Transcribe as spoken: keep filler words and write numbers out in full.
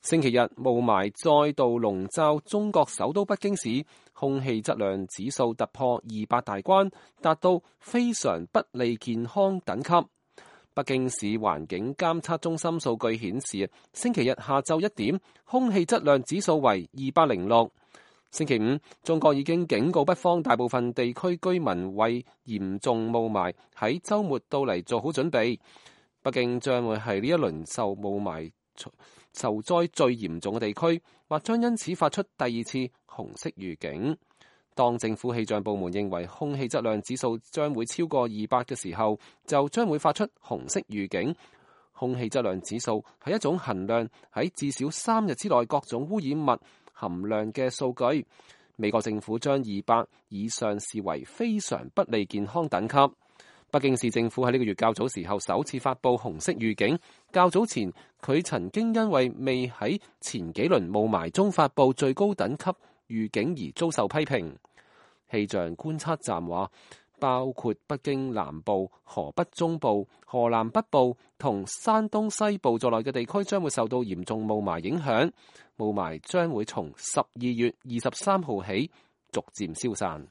星期日霧霾再度籠罩中國首都北京市，空氣質量指數突破二百大關，達到非常不利健康等級。北京市環境監測中心數據顯示，星期日下晝一點，空氣質量指數為二百零六。星期五，中國已經警告北方大部分地區居民為嚴重霧霾喺週末到嚟做好準備。北京將會係呢一輪受霧霾受災最嚴重嘅地區，或將因此發出第二次紅色預警。當政府氣象部門認為空氣質量指數將會超過二百嘅時候，就將會發出紅色預警。空氣質量指數係一種衡量喺至少三日之內各種污染物含量嘅數據。美國政府將二百以上視為非常不利健康等級。北京市政府喺呢個月較早時候首次發布紅色預警。較早前佢曾經因為未喺前幾輪霧霾中發布最高等級預警而遭受批評。氣象觀測站話，包括北京南部、河北中部、河南北部同山東西部在內嘅地區將會受到嚴重霧霾影響。霧霾將會從十二月二十三號起逐漸消散。